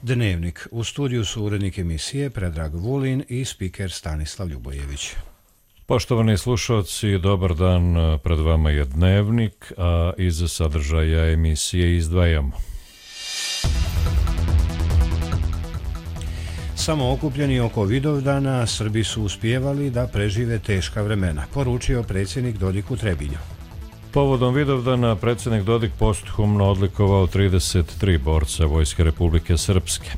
Dnevnik. U studiju su urednik emisije Predrag Vulin i spiker Stanislav Ljubojević. Poštovani slušalci, dobar dan, pred vama je Dnevnik, a iz sadržaja emisije izdvajamo. Samo okupljeni oko Vidovdana, Srbi su uspijevali da prežive teška vremena, poručio predsjednik Dodik u Trebinju. Povodom Vidovdana predsjednik Dodik posthumno odlikovao 33 borca Vojske Republike Srpske.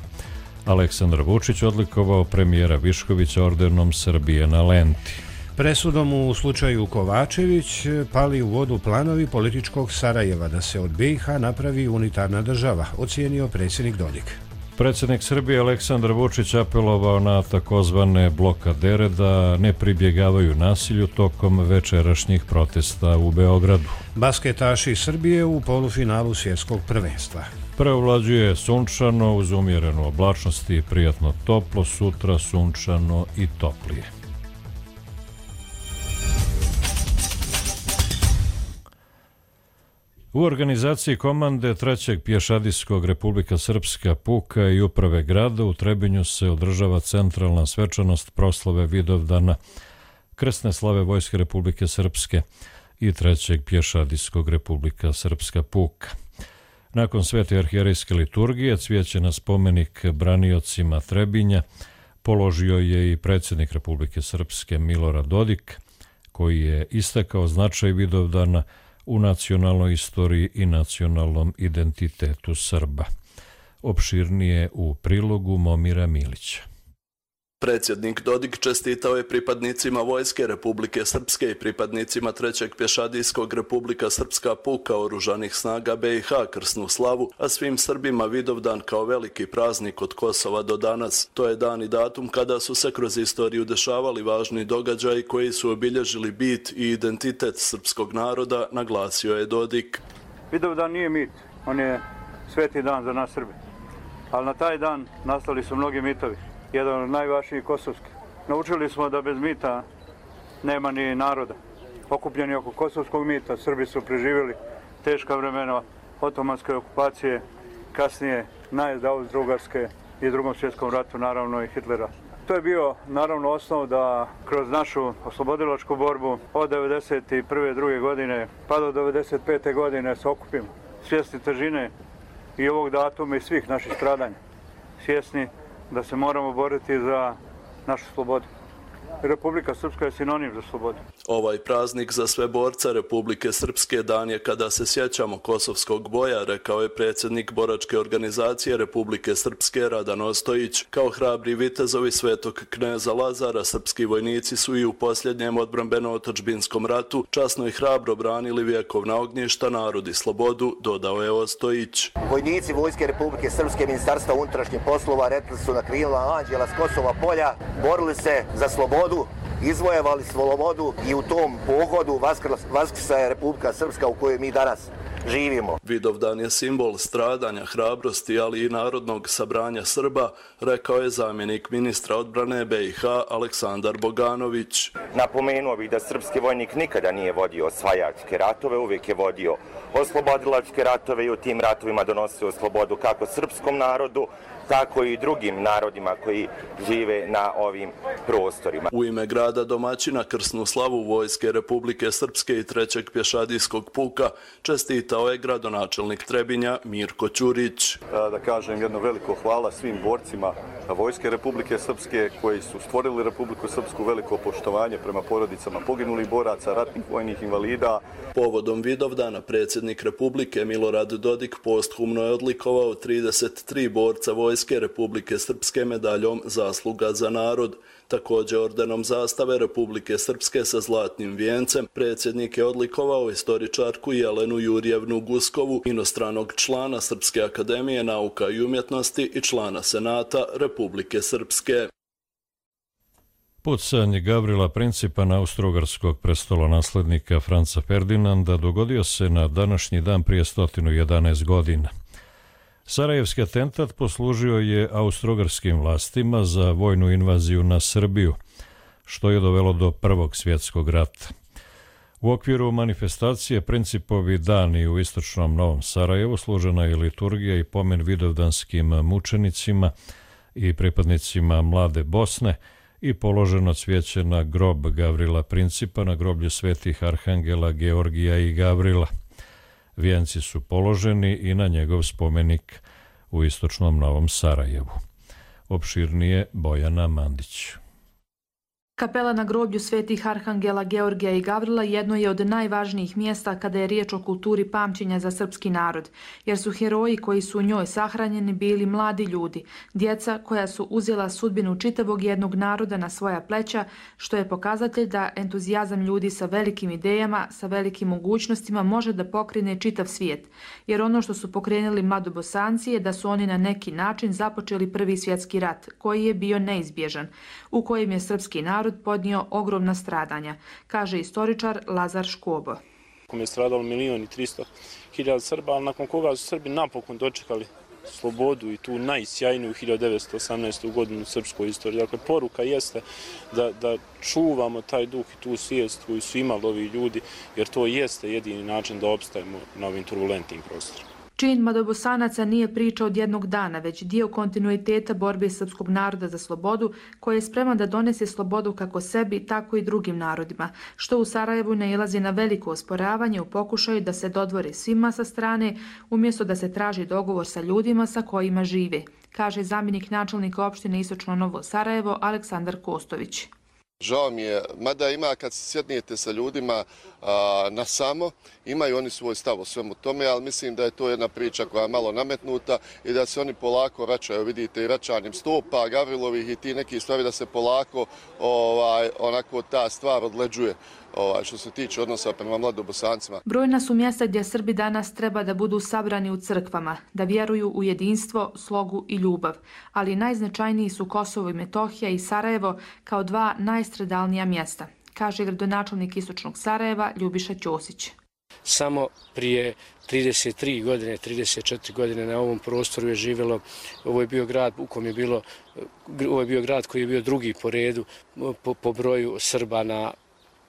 Aleksandar Vučić odlikovao premijera Viškovića ordenom Srbije na lenti. Presudom u slučaju Kovačević pali u vodu planovi političkog Sarajeva da se od BiH napravi unitarna država, ocijenio predsjednik Dodik. Predsjednik Srbije Aleksandar Vučić apelovao na takozvane blokadere da ne pribjegavaju nasilju tokom večerašnjih protesta u Beogradu. Basketaši Srbije u polufinalu svjetskog prvenstva. Preovlađuje sunčano uz umjerenu oblačnost i prijatno toplo, sutra sunčano i toplije. U organizaciji komande 3. pješadijskog Republika Srpska puka i uprave grada u Trebinju se održava centralna svečanost proslave Vidovdana, krsne slave Vojske Republike Srpske i 3. pješadijskog Republika Srpska puka. Nakon svete arhijerejske liturgije cvijeće na spomenik braniocima Trebinja položio je i predsjednik Republike Srpske Milorad Dodik, koji je istakao značaj Vidovdana u nacionalnoj istoriji i nacionalnom identitetu Srba. Opširnije u prilogu Momira Milića. Predsjednik Dodik čestitao je pripadnicima Vojske Republike Srpske i pripadnicima 3. pješadijskog Republika Srpska puka oružanih snaga BiH krsnu slavu, a svim Srbima Vidovdan kao veliki praznik od Kosova do danas. To je dan i datum kada su se kroz istoriju dešavali važni događaji koji su obilježili bit i identitet srpskog naroda, naglasio je Dodik. Vidovdan nije mit, on je sveti dan za nas Srbe, ali na taj dan nastali su mnogi mitovi. Jedan od najvažnijih kosovskih. Naučili smo da bez mita nema ni naroda. Okupljeni oko kosovskog mita, Srbi su preživjeli teška vremena otomanske okupacije, kasnije najezda Austro-Ugarske i Drugom svjetskom ratu, naravno i Hitlera. To je bio naravno osnov da kroz našu oslobodilačku borbu od 1991. druge godine pa do 1995. godine se okupimo. Svjesni težine i ovog datuma i svih naših stradanja. Svjesni da se moramo boriti za našu slobodu. Republika Srpska je sinonim za slobodu. Ovaj praznik za sve borce Republike Srpske dan je kada se sjećamo kosovskog boja, rekao je predsjednik boračke organizacije Republike Srpske Radan Ostojić. Kao hrabri vitezovi Svetog kneza Lazara, srpski vojnici su i u posljednjem odbrambeno-otadžbinskom ratu časno i hrabro branili vjekovna ognjišta, narod i slobodu, dodao je Ostojić. Vojnici Vojske Republike Srpske, Ministarstva unutrašnjih poslova, retli su na krilima anđela s Kosova polja, borili se za slobodu, izvojevali slobodu i u tom pohodu vaskrsa je Republika Srpska u kojoj mi danas živimo. Vidovdan je simbol stradanja, hrabrosti, ali i narodnog sabranja Srba, rekao je zamjenik ministra odbrane BiH Aleksandar Boganović. Napomenuo bih da srpski vojnik nikada nije vodio osvajačke ratove, uvijek je vodio oslobodilačke ratove i u tim ratovima donosio slobodu kako srpskom narodu, tako i drugim narodima koji žive na ovim prostorima. U ime grada domaćina krsnu slavu Vojske Republike Srpske i 3. pješadijskog puka čestitao je gradonačelnik Trebinja Mirko Ćurić. Da kažem jedno veliko hvala svim borcima Vojske Republike Srpske koji su stvorili Republiku Srpsku, veliko poštovanje prema porodicama poginulih boraca, ratnih vojnih invalida. Povodom Vidovdana predsjednik Republike Milorad Dodik posthumno je odlikovao 33 borca Vojske Republike Srpske medaljom Zasluga za narod. Također ordenom zastave Republike Srpske sa zlatnim vijencem predsjednik je odlikovao istoričarku Jelenu Jurjevnu Guskovu, inostranog člana Srpske akademije nauka i umjetnosti i člana Senata Republike Srpske. Pucanje Gavrila Principa, austrougarskog prestolonaslednika Franca Ferdinanda, dogodio se na današnji dan prije 111 godina. Sarajevski atentat poslužio je austrougarskim vlastima za vojnu invaziju na Srbiju, što je dovelo do Prvog svjetskog rata. U okviru manifestacije Principovi dani u istočnom Novom Sarajevu služena je liturgija i pomen vidovdanskim mučenicima i pripadnicima Mlade Bosne i položeno cvijeće na grob Gavrila Principa na groblju svetih arhangela Georgija i Gavrila. Vijenci su položeni i na njegov spomenik u istočnom Novom Sarajevu. Opširnije Bojana Mandić. Kapela na groblju svetih arhangela Georgija i Gavrila jedno je od najvažnijih mjesta kada je riječ o kulturi pamćenja za srpski narod, jer su heroji koji su u njoj sahranjeni bili mladi ljudi, djeca koja su uzela sudbinu čitavog jednog naroda na svoja pleća, što je pokazatelj da entuzijazam ljudi sa velikim idejama, sa velikim mogućnostima može da pokrene čitav svijet, jer ono što su pokrenuli Mladobosanci je da su oni na neki način započeli Prvi svjetski rat, koji je bio neizbježan, u kojem je srpski narod podnio ogromna stradanja, kaže istoričar Lazar Škobo. Je stradalo 1.300.000 Srba, ali nakon koga su Srbi napokon dočekali slobodu i tu najsjajniju 1918. godinu u srpskoj istoriji. Dakle, poruka jeste da čuvamo taj duh i tu svijest koju su imali ovi ljudi, jer to jeste jedini način da opstajemo na ovim turbulentnim prostorima. Čin Mladobosanaca nije priča od jednog dana, već dio kontinuiteta borbe srpskog naroda za slobodu, koji je spreman da donese slobodu kako sebi, tako i drugim narodima, što u Sarajevu nailazi na veliko osporavanje u pokušaju da se dodvore svima sa strane, umjesto da se traži dogovor sa ljudima sa kojima žive, kaže zamjenik načelnika opštine Istočno Novo Sarajevo Aleksandar Kostović. Žao mi je, mada ima kad se sjednijete sa ljudima na samo, imaju oni svoj stav o svemu tome, ali mislim da je to jedna priča koja je malo nametnuta i da se oni polako vraćaju, vidite i vraćanjem stopa, Gavrilovih i ti neki stvari da se polako onako ta stvar odleđuje. Što se tiče odnosa prema Mladobosancima. Brojna su mjesta gdje Srbi danas treba da budu sabrani u crkvama, da vjeruju u jedinstvo, slogu i ljubav, ali najznačajniji su Kosovo i Metohija i Sarajevo kao dva najstradalnija mjesta, kaže gradonačelnik Istočnog Sarajeva Ljubiša Ćosić. Samo prije 33 godine, 34 godine na ovom prostoru je živjelo, ovo je bio grad u kom je bilo, ovo je bio grad koji je bio drugi po redu po broju Srba na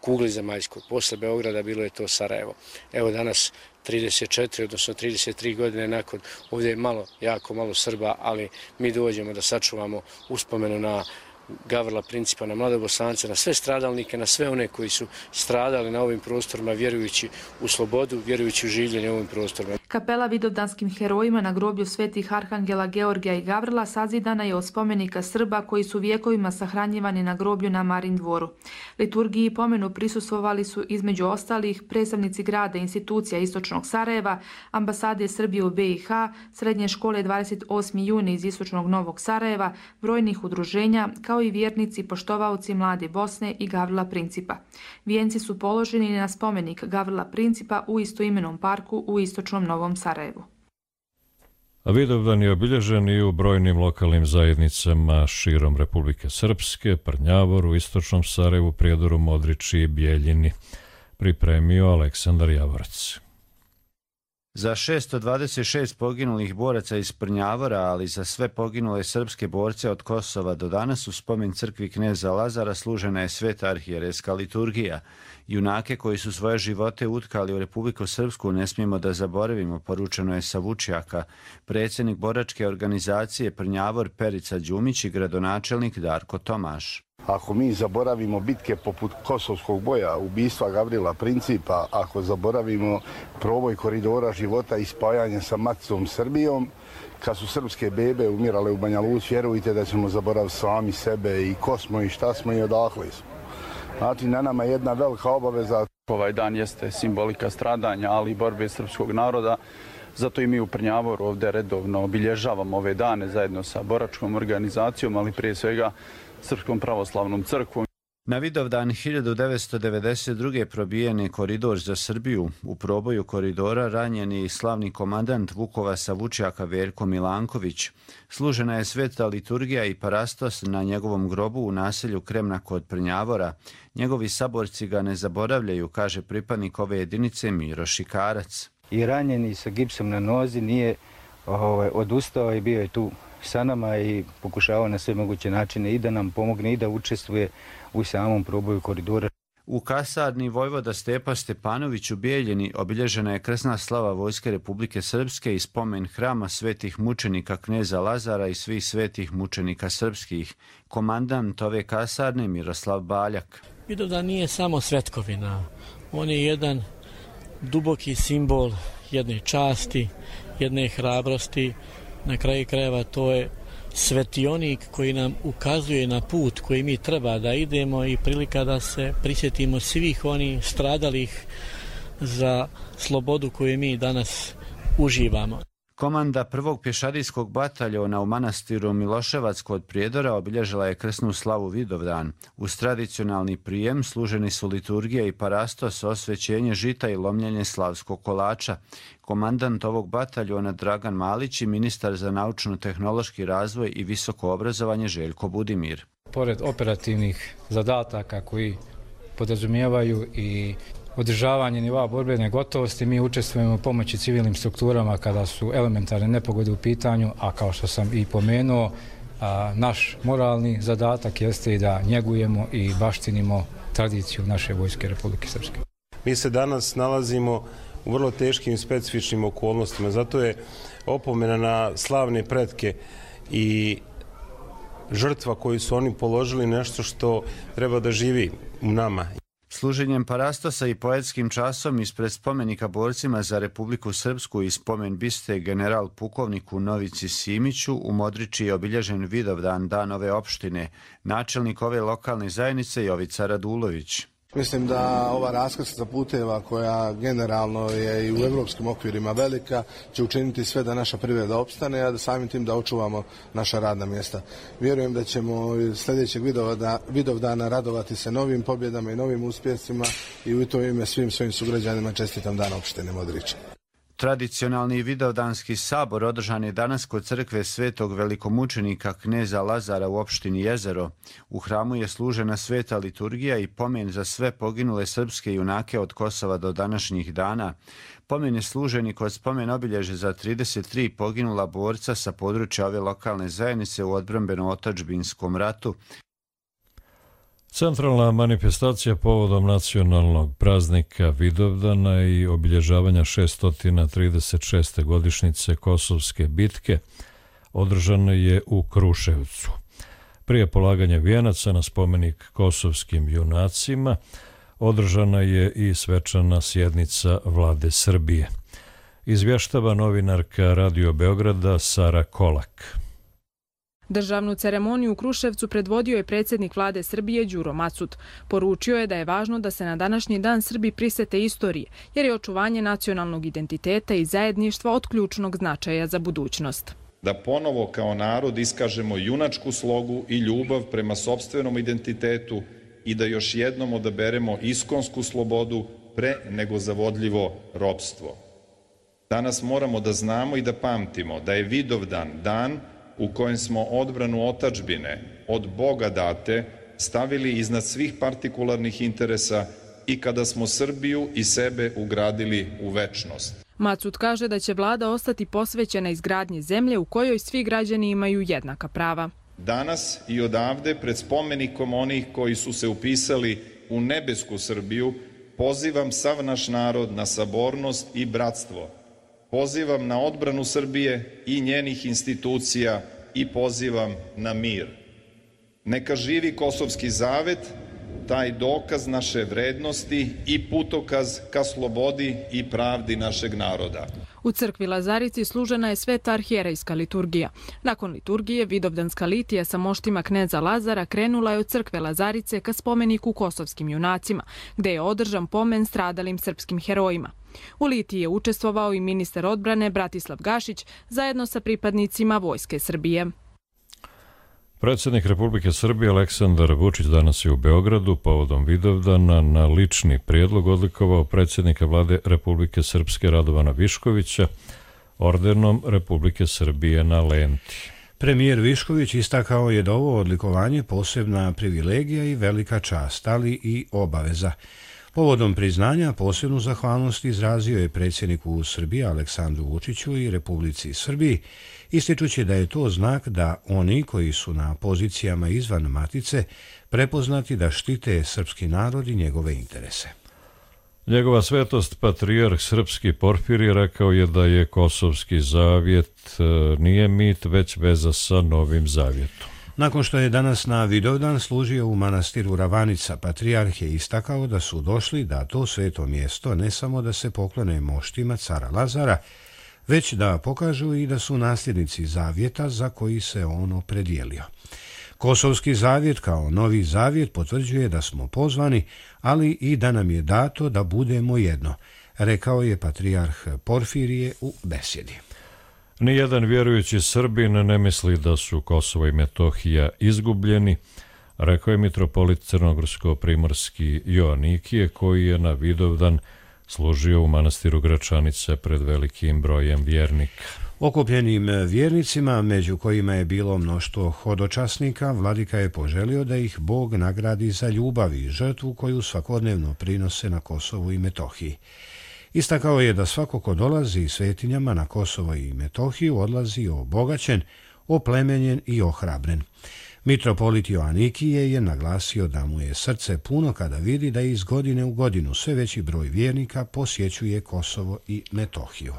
kugli zemaljskoj. Posle Beograda bilo je to Sarajevo. Evo danas 34, odnosno 33 godine nakon, ovdje je jako malo Srba, ali mi dođemo da sačuvamo uspomenu na Gavrila Principa, na Mladobosance, na sve stradalnike, na sve one koji su stradali na ovim prostorima vjerujući u slobodu, vjerujući u življenje ovim prostorima. Kapela vidovdanskim herojima na groblju svetih arhangela Georgija i Gavrila sazidana je od spomenika Srba koji su vjekovima sahranjivani na groblju na Marin dvoru. Liturgiji i pomenu prisustvovali su između ostalih predstavnici grada i institucija Istočnog Sarajeva, ambasade Srbije u BiH, srednje škole 28. juni iz Istočnog Novog Sarajeva, brojnih udruženja, kao i vjernici i poštovaoci Mlade Bosne i Gavrila Principa. Vijenci su položeni na spomenik Gavrila Principa u istoimenom parku u Istočnom Novom Sarajevu. A Vidovdan je obilježen i u brojnim lokalnim zajednicama širom Republike Srpske, Prnjavoru, Istočnom Sarajevu, Prijedoru, Modriči i Bijeljini. Pripremio Aleksandar Javorac. Za 626 poginulih boraca iz Prnjavora, ali za sve poginule srpske borce od Kosova do danas u spomen crkvi kneza Lazara služena je sveta arhijerejska liturgija. Junake koji su svoje živote utkali u Republiku Srpsku ne smijemo da zaboravimo, poručeno je sa Vučjaka, predsjednik boračke organizacije Prnjavor Perica Đumić i gradonačelnik Darko Tomaš. Ako mi zaboravimo bitke poput Kosovskog boja, ubistva Gavrila Principa, ako zaboravimo proboj koridora života i spajanje sa maticom Srbijom, kad su srpske bebe umirale u Banja Luci, vjerujte da ćemo zaboraviti sami sebe i ko smo i šta smo i odakle smo. Znači, na nama je jedna velika obaveza. Ovaj dan jeste simbolika stradanja, ali i borbe srpskog naroda. Zato i mi u Prnjavoru ovdje redovno obilježavamo ove dane zajedno sa boračkom organizacijom, ali prije svega Srpskom pravoslavnom crkvom. Na Vidovdan 1992. probijen je koridor za Srbiju. U proboju koridora ranjen je i slavni komandant Vukovasa Vučjaka Veljko Milanković. Služena je sveta liturgija i parastos na njegovom grobu u naselju Kremna kod Prnjavora. Njegovi saborci ga ne zaboravljaju, kaže pripadnik ove jedinice Miro Šikarac. I ranjeni sa gipsom na nozi nije odustao i bio je tu sa nama i pokušavao na sve moguće načine i da nam pomogne i da učestvuje u samom proboju koridora. U kasarni Vojvoda Stepa Stepanović u Bijeljini obilježena je krsna slava Vojske Republike Srpske i spomen hrama svetih mučenika kneza Lazara i svih svetih mučenika srpskih. Komandant ove kasarne Miroslav Baljak. Vidovdan nije samo svetkovina, on je jedan duboki simbol jedne časti, jedne hrabrosti. Na kraju krajeva to je svetionik koji nam ukazuje na put koji mi treba da idemo i prilika da se prisjetimo svih onih stradalih za slobodu koju mi danas uživamo. Komanda prvog pješadijskog bataljona u manastiru Miloševac kod Prijedora obilježila je krsnu slavu Vidovdan. Uz tradicionalni prijem služeni su liturgija i parastos, osvećenje žita i lomljenje slavskog kolača. Komandant ovog bataljona Dragan Malić i ministar za naučno-tehnološki razvoj i visoko obrazovanje Željko Budimir. Pored operativnih zadataka koji podrazumijevaju i održavanje nivoa borbene gotovosti, mi učestvujemo u pomoći civilnim strukturama kada su elementarne nepogode u pitanju, a kao što sam i pomenuo, naš moralni zadatak jeste i da njegujemo i baštinimo tradiciju naše Vojske Republike Srpske. Mi se danas nalazimo u vrlo teškim i specifičnim okolnostima, zato je opomena na slavne pretke i žrtva koju su oni položili nešto što treba da živi u nama. Služenjem parastosa i poetskim časom ispred spomenika borcima za Republiku Srpsku i spomen biste general pukovniku Novici Simiću u Modriči je obilježen Vidovdan, dan ove opštine. Načelnik ove lokalne zajednice Jovica Radulović. Mislim da ova raskrsnica puteva koja generalno je i u evropskim okvirima velika će učiniti sve da naša privreda opstane, a da samim tim da očuvamo naša radna mjesta. Vjerujem da ćemo sljedećeg Vidovdana radovati se novim pobjedama i novim uspjesima i u to ime svim svojim sugrađanima čestitam dan opštine Modrić. Tradicionalni Vidovdanski sabor održan je danas kod crkve Svetog velikomučenika kneza Lazara u opštini Jezero. U hramu je služena sveta liturgija i pomen za sve poginule srpske junake od Kosova do današnjih dana. Pomen je služen i kod spomen obilježe za 33 poginula borca sa područja ove lokalne zajednice u odbrambeno-otadžbinskom ratu. Centralna manifestacija povodom nacionalnog praznika Vidovdana i obilježavanja 636. godišnjice Kosovske bitke održana je u Kruševcu. Prije polaganja vijenaca na spomenik kosovskim junacima održana je i svečana sjednica Vlade Srbije. Izvještava novinarka Radio Beograda Sara Kolak. Državnu ceremoniju u Kruševcu predvodio je predsjednik Vlade Srbije Đuro Macut. Poručio je da je važno da se na današnji dan Srbi prisete istorije, jer je očuvanje nacionalnog identiteta i zajedništva od ključnog značaja za budućnost. Da ponovo kao narod iskažemo junačku slogu i ljubav prema sopstvenom identitetu i da još jednom odaberemo iskonsku slobodu pre nego zavodljivo ropstvo. Danas moramo da znamo i da pamtimo da je Vidovdan dan u kojem smo odbranu otadžbine od Boga date stavili iznad svih partikularnih interesa i kada smo Srbiju i sebe ugradili u večnost. Macut kaže da će vlada ostati posvećena izgradnji zemlje u kojoj svi građani imaju jednaka prava. Danas i odavde pred spomenikom onih koji su se upisali u nebesku Srbiju pozivam sav naš narod na sabornost i bratstvo. Pozivam na odbranu Srbije i njenih institucija i pozivam na mir. Neka živi Kosovski zavet, taj dokaz naše vrednosti i putokaz ka slobodi i pravdi našeg naroda. U crkvi Lazarici služena je sveta arhijerejska liturgija. Nakon liturgije, Vidovdanska litija sa moštima kneza Lazara krenula je od crkve Lazarice ka spomeniku kosovskim junacima, gde je održan pomen stradalim srpskim herojima. U litiji je učestvovao i ministar odbrane Bratislav Gašić zajedno sa pripadnicima Vojske Srbije. Predsjednik Republike Srbije Aleksandar Vučić danas je u Beogradu povodom Vidovdana na lični prijedlog odlikovao predsjednika Vlade Republike Srpske Radovana Viškovića ordenom Republike Srbije na lenti. Premijer Višković istakao je da ovo odlikovanje posebna privilegija i velika čast, ali i obaveza. Povodom priznanja posebnu zahvalnost izrazio je predsjedniku Srbije Aleksandru Vučiću i Republici Srbiji, ističući da je to znak da oni koji su na pozicijama izvan matice prepoznati da štite srpski narod i njegove interese. Njegova svetost, patrijarh srpski Porfirije, rekao je da je Kosovski zavjet nije mit, već veza sa Novim zavjetom. Nakon što je danas na Vidovdan služio u manastiru Ravanica, patrijarh je istakao da su došli da to sveto mjesto ne samo da se poklone moštima cara Lazara, već da pokažu i da su nasljednici zavjeta za koji se on opredijelio. Kosovski zavjet kao novi zavjet potvrđuje da smo pozvani, ali i da nam je dato da budemo jedno, rekao je patrijarh Porfirije u besjedi. Nijedan vjerujući Srbin ne misli da su Kosovo i Metohija izgubljeni, rekao je mitropolit crnogorsko-primorski Joanikije, koji je na Vidovdan služio u manastiru Gračanice pred velikim brojem vjernika. Okupljenim vjernicima, među kojima je bilo mnoštvo hodočasnika, vladika je poželio da ih Bog nagradi za ljubav i žrtvu koju svakodnevno prinose na Kosovu i Metohiji. Istakao je da svako ko dolazi svetinjama na Kosovo i Metohiju odlazi obogaćen, oplemenjen i ohrabren. Mitropolit Joanikije je naglasio da mu je srce puno kada vidi da iz godine u godinu sve veći broj vjernika posjećuje Kosovo i Metohiju.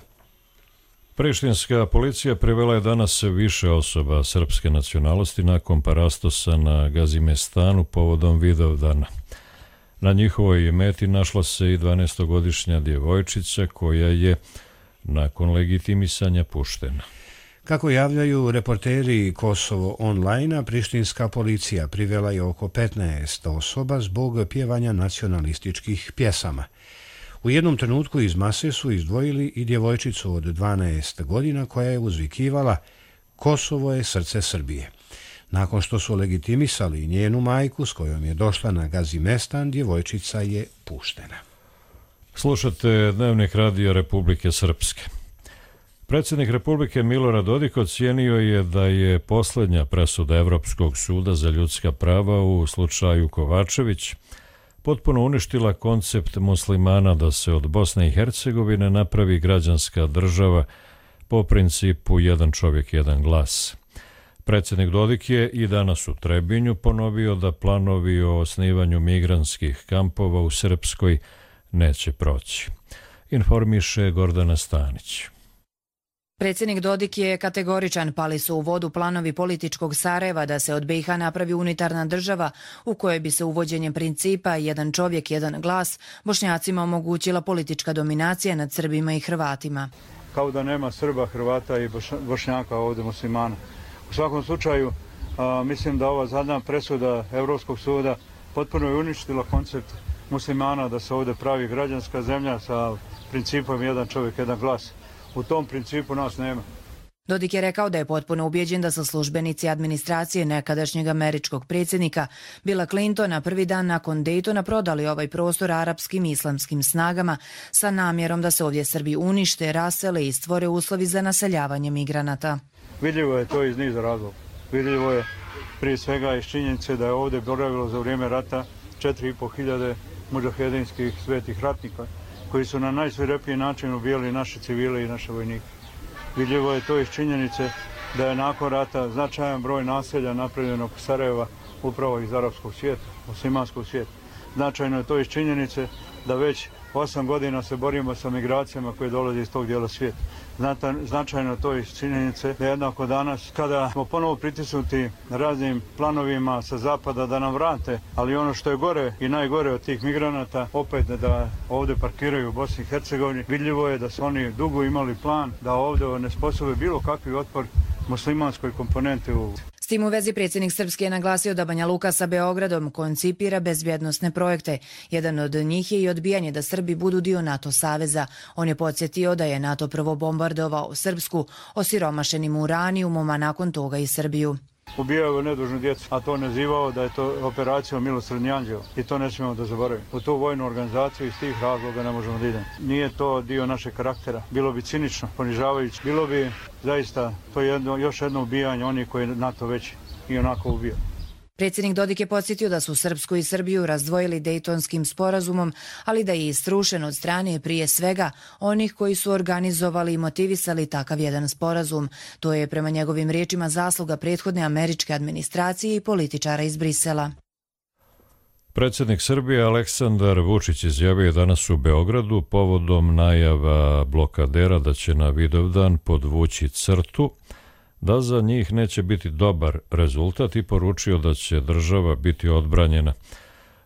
Prištinska policija privela je danas više osoba srpske nacionalnosti nakon parastosa na Gazimestanu povodom Vidovdana. Na njihovoj meti našla se i 12-godišnja djevojčica koja je nakon legitimisanja puštena. Kako javljaju reporteri Kosovo online, prištinska policija privela je oko 15 osoba zbog pjevanja nacionalističkih pjesama. U jednom trenutku iz mase su izdvojili i djevojčicu od 12 godina koja je uzvikivala "Kosovo je srce Srbije". Nakon što su legitimisali njenu majku s kojom je došla na Gazimestan, djevojčica je puštena. Slušate Dnevnik radija Republike Srpske. Predsjednik Republike Milorad Dodik ocijenio je da je posljednja presuda Evropskog suda za ljudska prava u slučaju Kovačević potpuno uništila koncept muslimana da se od Bosne i Hercegovine napravi građanska država po principu jedan čovjek, jedan glas. Predsjednik Dodik je i danas u Trebinju ponovio da planovi o osnivanju migrantskih kampova u Srpskoj neće proći. Informiše Gordana Stanić. Predsjednik Dodik je kategoričan, pali su u vodu planovi političkog Sarajeva da se od BiH napravi unitarna država u kojoj bi se uvođenjem principa jedan čovjek, jedan glas Bošnjacima omogućila politička dominacija nad Srbima i Hrvatima. Kao da nema Srba, Hrvata i Bošnjaka ovdje muslimana. U svakom slučaju, mislim da ova zadnja presuda Evropskog suda potpuno je uništila koncept muslimana da se ovdje pravi građanska zemlja sa principom jedan čovjek, jedan glas. U tom principu nas nema. Dodik je rekao da je potpuno ubijeđen da su službenici administracije nekadašnjeg američkog predsjednika Billa Clintona prvi dan nakon Daytona prodali ovaj prostor arapskim i islamskim snagama sa namjerom da se ovdje Srbi unište, rasele i stvore uslovi za naseljavanje migranata. Vidljivo je to iz niza razloga. Vidljivo je prije svega iz činjenice da je ovdje boravilo za vrijeme rata 4.500 mudžahedinskih svetih ratnika koji su na najsvirepiji način ubijali naše civile i naše vojnike. Vidljivo je to iz činjenice da je nakon rata značajan broj naselja napravljen oko Sarajeva upravo iz arapskog svijeta, muslimanskog svijeta. Značajno je to iz činjenice da već 8 godina se borimo sa migracijama koje dolaze iz tog dijela svijeta. Značajno je to iz činjenice da jednako danas, kada smo ponovo pritisnuti raznim planovima sa zapada da nam vrate, ali ono što je gore i najgore od tih migranata, opet da ovdje parkiraju u Bosni i Hercegovini, vidljivo je da su oni dugo imali plan da ovdje ne sposobe bilo kakvi otpor muslimanskoj komponenti u. S tim u vezi predsjednik Srpske je naglasio da Banja Luka sa Beogradom koncipira bezbjednosne projekte. Jedan od njih je i odbijanje da Srbi budu dio NATO saveza. On je podsjetio da je NATO prvo bombardovao Srpsku osiromašenim uranijumom, a nakon toga i Srbiju. Ubijao nedužnu djecu, a to nazivao da je to operacija Milosrdni anđeo i to ne smijemo da zaboravimo. U tu vojnu organizaciju iz tih razloga ne možemo da idemo. Nije to dio našeg karaktera, bilo bi cinično, ponižavajuće, bilo bi zaista to još jedno ubijanje onih koji NATO već i onako ubija. Predsjednik Dodik je podsjetio da su Srpsku i Srbiju razdvojili Dejtonskim sporazumom, ali da je istrušen od strane prije svega onih koji su organizovali i motivisali takav jedan sporazum. To je prema njegovim riječima zasluga prethodne američke administracije i političara iz Brisela. Predsjednik Srbije Aleksandar Vučić izjavio je danas u Beogradu povodom najava blokadera da će na Vidovdan podvući crtu, da za njih neće biti dobar rezultat i poručio da će država biti odbranjena,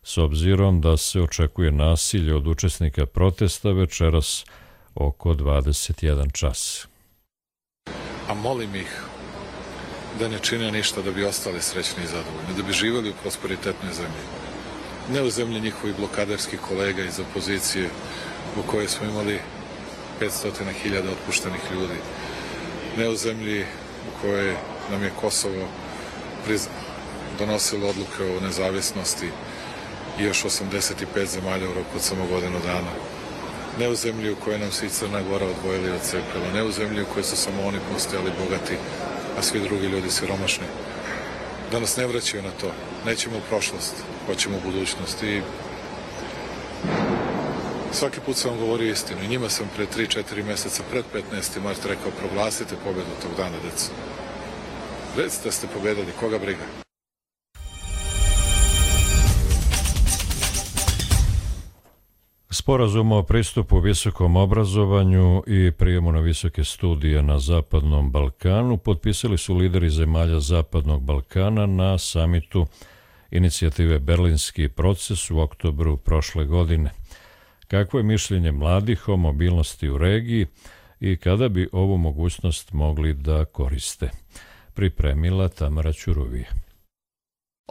s obzirom da se očekuje nasilje od učesnika protesta večeras oko 21 čas. A molim ih da ne čine ništa da bi ostali srećni i zadovoljni, da bi živjeli u prosperitetnoj zemlji. Ne u zemlji njihovih blokaderskih kolega iz opozicije u kojoj smo imali 500.000 otpuštenih ljudi. Ne u zemlji u kojoj nam je Kosovo donosilo odluke o nezavisnosti i još 85 zemalja u roku od samo godinu dana. Ne u zemlji u kojoj nam se i Crna Gora odvojili od cepila. Ne u zemlji u kojoj su samo oni postojali bogati, a svi drugi ljudi siromašni. Da nas ne vraćaju na to. Nećemo u prošlost, hoćemo u budućnost. I svaki put sam vam govorio istinu. I njima sam pre 3-4 meseca, pred 15. mart rekao, proglasite pobedu tog dana, deca. Recite da ste pobedili, koga briga? Sporazum o pristupu visokom obrazovanju i prijemu na visoke studije na Zapadnom Balkanu potpisali su lideri zemalja Zapadnog Balkana na samitu inicijative Berlinski proces u oktobru prošle godine. Kakvo je mišljenje mladih o mobilnosti u regiji i kada bi ovu mogućnost mogli da koriste? Pripremila Tamara Ćuruvija.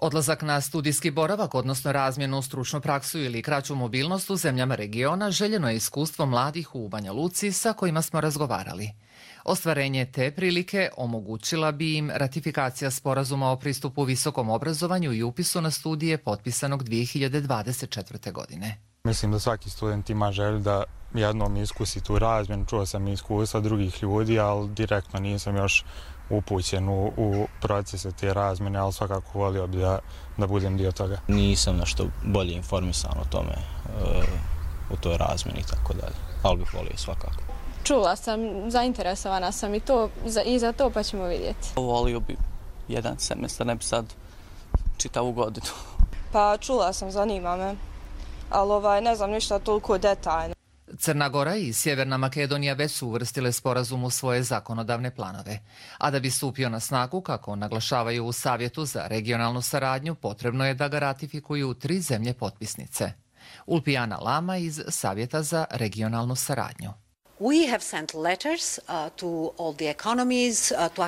Odlazak na studijski boravak, odnosno razmjenu, stručnu praksu ili kraću mobilnost u zemljama regiona željeno je iskustvo mladih u Banja Luci sa kojima smo razgovarali. Ostvarenje te prilike omogućila bi im ratifikacija sporazuma o pristupu visokom obrazovanju i upisu na studije potpisanog 2024. godine. Mislim da svaki student ima želju da jednom iskusi tu razmjenu. Čuo sam iskustva drugih ljudi, ali direktno nisam još upućen u procese te razmjene, ali svakako volio bi da budem dio toga. Nisam nešto bolje informisan o tome, u toj razmjeni i tako dalje, ali bih volio svakako. Čula sam, zainteresovana sam i za to, pa ćemo vidjeti. Volio bi jedan semestar, ne bi sad čitavu godinu. Pa čula sam, zanima me, ali ne znam ništa toliko detaljno. Crna Gora i Sjeverna Makedonija već su uvrstile sporazum u svoje zakonodavne planove. A da bi stupio na snagu, kako naglašavaju u Savjetu za regionalnu saradnju, potrebno je da ga ratifikuju 3 zemlje potpisnice. Ulpijana Lama iz Savjeta za regionalnu saradnju.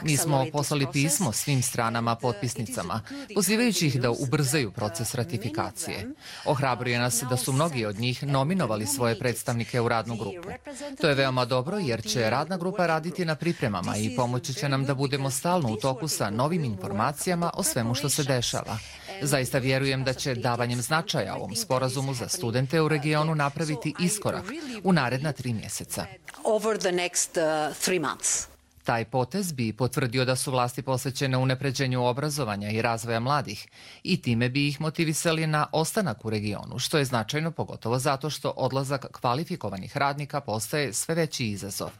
Mi smo poslali pismo svim stranama potpisnicama, pozivajući ih da ubrzaju proces ratifikacije. Ohrabruje nas da su mnogi od njih nominovali svoje predstavnike u radnu grupu. To je veoma dobro jer će radna grupa raditi na pripremama i pomoći će nam da budemo stalno u toku sa novim informacijama o svemu što se dešava. Zaista vjerujem da će davanjem značaja ovom sporazumu za studente u regionu napraviti iskorak u naredna 3 mjeseca. Taj potez bi potvrdio da su vlasti posvećene unapređenju obrazovanja i razvoja mladih i time bi ih motivisali na ostanak u regionu, što je značajno pogotovo zato što odlazak kvalifikovanih radnika postaje sve veći izazov.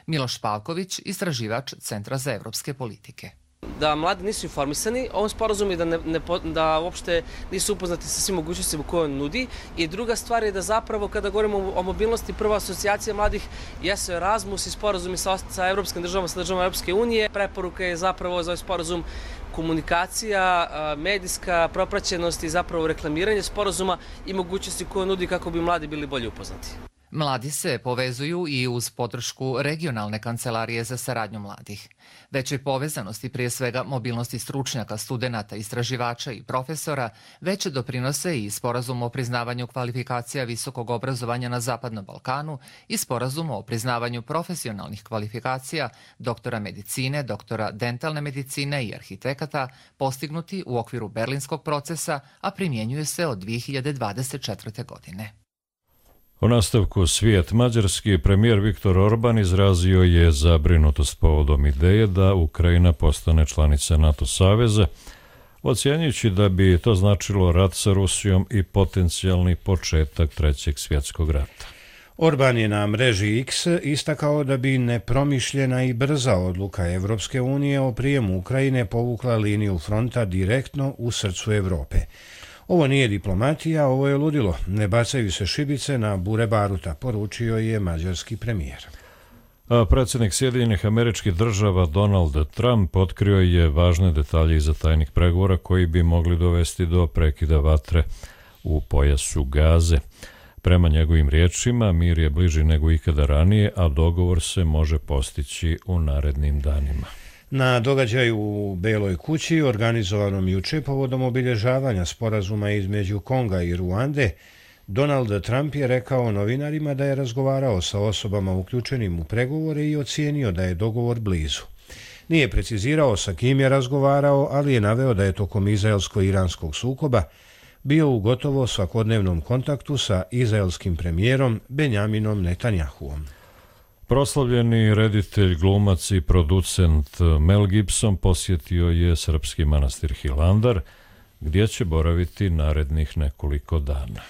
Miloš Pavković, istraživač Centra za evropske politike. Da mladi nisu informisani o ovom sporazumu i da uopšte nisu upoznati sa svim mogućnostima koje on nudi. I druga stvar je da zapravo kada govorimo o mobilnosti, prva asocijacija mladih jesu Erasmus i sporazumi sa evropskim državama, sa državama Europske unije. Preporuka je zapravo za ovaj sporazum komunikacija, medijska propraćenost i zapravo reklamiranje sporazuma i mogućnosti koje nudi kako bi mladi bili bolje upoznati. Mladi se povezuju i uz podršku regionalne kancelarije za saradnju mladih. Većoj povezanosti, prije svega mobilnosti stručnjaka, studenata, istraživača i profesora, već doprinose i sporazum o priznavanju kvalifikacija visokog obrazovanja na Zapadnom Balkanu i sporazum o priznavanju profesionalnih kvalifikacija doktora medicine, doktora dentalne medicine i arhitekata, postignuti u okviru Berlinskog procesa, a primjenjuje se od 2024. godine. U nastavku svijet, mađarski premijer Viktor Orban izrazio je zabrinutost povodom ideje da Ukrajina postane članica NATO saveza, ocjenjujući da bi to značilo rat sa Rusijom i potencijalni početak Trećeg svjetskog rata. Orban je na mreži X istakao da bi nepromišljena i brza odluka Evropske unije o prijemu Ukrajine povukla liniju fronta direktno u srcu Evrope. Ovo nije diplomatija, ovo je ludilo. Ne bacaju se šibice na bure baruta, poručio je mađarski premijer. Predsjednik Sjedinjenih Američkih Država Donald Trump otkrio je važne detalje iza tajnih pregovora koji bi mogli dovesti do prekida vatre u pojasu Gaze. Prema njegovim riječima, mir je bliži nego ikada ranije, a dogovor se može postići u narednim danima. Na događaju u Beloj kući, organizovanom juče povodom obilježavanja sporazuma između Konga i Ruande, Donald Trump je rekao novinarima da je razgovarao sa osobama uključenim u pregovore i ocijenio da je dogovor blizu. Nije precizirao sa kim je razgovarao, ali je naveo da je tokom izraelsko-iranskog sukoba bio u gotovo svakodnevnom kontaktu sa izraelskim premijerom Benjaminom Netanjahuom. Proslavljeni reditelj, glumac i producent Mel Gibson posjetio je srpski manastir Hilandar, gdje će boraviti narednih nekoliko dana.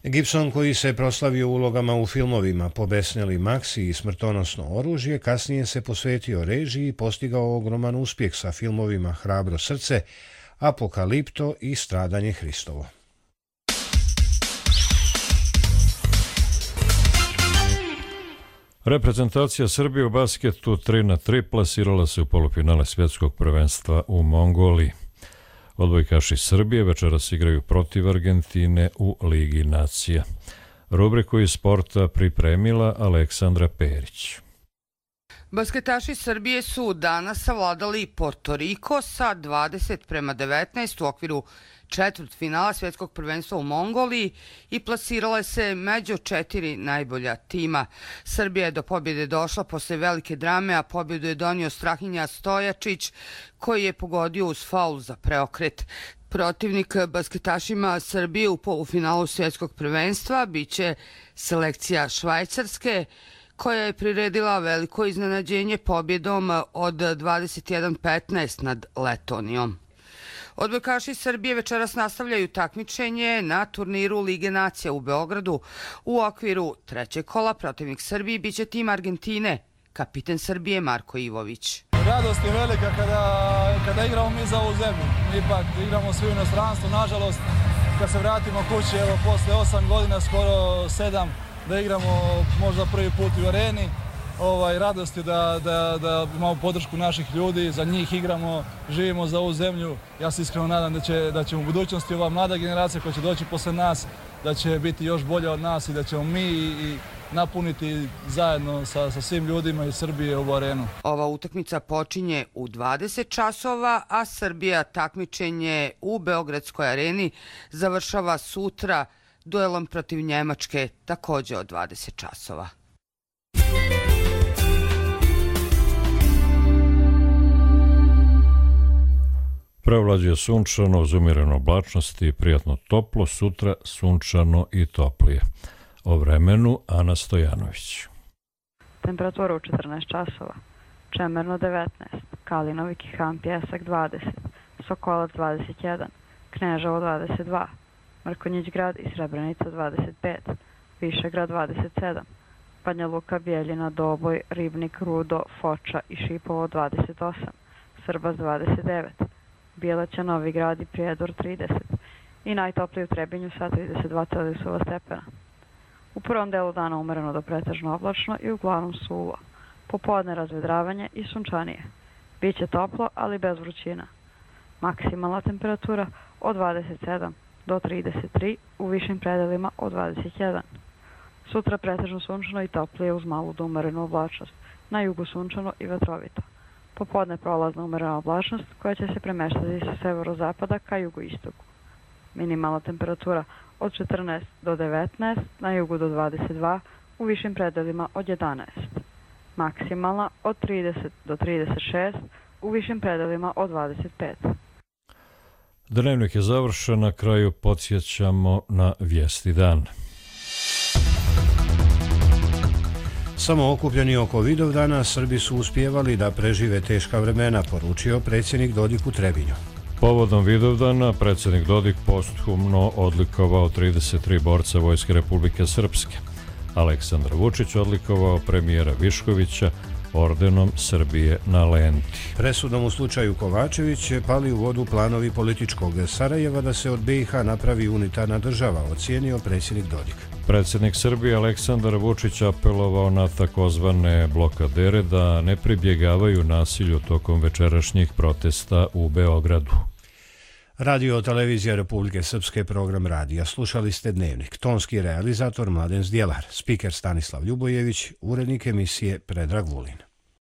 Gibson, koji se proslavio ulogama u filmovima Pobesneli Maksi i Smrtonosno oružje, kasnije se posvetio režiji i postigao ogroman uspjeh sa filmovima Hrabro srce, Apokalipto i Stradanje Hristovo. Reprezentacija Srbije u basketu 3-3 plasirala se u polufinale svjetskog prvenstva u Mongoliji. Odbojkaši Srbije večeras igraju protiv Argentine u Ligi nacija. Rubriku iz sporta pripremila Aleksandra Perić. Basketaši Srbije su danas savladali Porto Riko sa 20-19 u okviru četvrtfinala svjetskog prvenstva u Mongoliji i plasirala se među 4 najbolja tima. Srbija je do pobjede došla posle velike drame, a pobjedu je donio Strahinja Stojačić, koji je pogodio uz faul za preokret. Protivnik basketašima Srbije u polufinalu svjetskog prvenstva biće selekcija Švajcarske, koja je priredila veliko iznenađenje pobjedom od 21-15 nad Letonijom. Odbojkaši Srbije večeras nastavljaju takmičenje na turniru Lige nacija u Beogradu. U okviru trećeg kola protivnik Srbije biće tim Argentine, kapiten Srbije Marko Ivović. Radost je velika kada igramo mi za ovu zemlju. Ipak igramo svi u inostranstvu, nažalost, kad se vratimo kući, evo, posle 8 godina, skoro 7, da igramo možda prvi put u areni. Radost je da imamo podršku naših ljudi, za njih igramo, živimo za ovu zemlju. Ja se iskreno nadam da će u budućnosti ova mlada generacija koja će doći posle nas, da će biti još bolja od nas i da ćemo mi i napuniti zajedno sa svim ljudima iz Srbije ovu arenu. Ova utakmica počinje u 20 časova, a Srbija takmičenje u Beogradskoj areni završava sutra duelom protiv Njemačke, također od 20 časova. Prevlađuje sunčano uz umjerenu oblačnost i prijatno toplo, sutra sunčano i toplije. O vremenu Ana Stojanović. Temperatura u 14 časova. Čemerno 19, Kalinovik i Han Pjesak 20, Sokolac 21, Kneževo 22, Mrkonjić grad i Srebrenica 25, Višegrad 27, Banja Luka, Bijeljina, Doboj, Ribnik, Rudo, Foča i Šipovo 28, Srbas 29, Bijeleća, Novi Grad i Prijedor 30 i najtopliji u Trebinju sa 32 Celzijusova stepena. U prvom delu dana umereno do pretežno oblačno i uglavnom suvo. Popodne razvedravanje i sunčanije. Biće toplo, ali bez vrućina. Maksimalna temperatura od 27 do 33, u višim predelima od 21. Sutra pretežno sunčano i toplije uz malu do umerenu oblačnost. Na jugu sunčano i vetrovito. Popodne prolazna umerena oblačnost koja će se premeštati sa severozapada ka jugoistoku. Minimalna temperatura od 14 do 19, na jugu do 22, u višim predelima od 11. Maksimalna od 30 do 36, u višim predelima od 25. Dnevnik je završen, na kraju podsjećamo na vijesti dana. Samo okupljeni oko Vidovdana, Srbi su uspijevali da prežive teška vremena, poručio predsjednik Dodik u Trebinju. Povodom Vidovdana, predsjednik Dodik posthumno odlikovao 33 borca Vojske Republike Srpske. Aleksandar Vučić odlikovao premijera Viškovića ordenom Srbije na lenti. Presudom u slučaju Kovačević pali u vodu planovi političkog Sarajeva da se od BiH napravi unitarna država, ocijenio predsjednik Dodik. Predsjednik Srbije Aleksandar Vučić apelovao na takozvane blokadere da ne pribjegavaju nasilju tokom večerašnjih protesta u Beogradu. Radio televizija Republike Srpske, program radija. Slušali ste Dnevnik. Tonski realizator Mladen Zdjelar, spiker Stanislav Ljubojević, urednik emisije Predrag Vulin.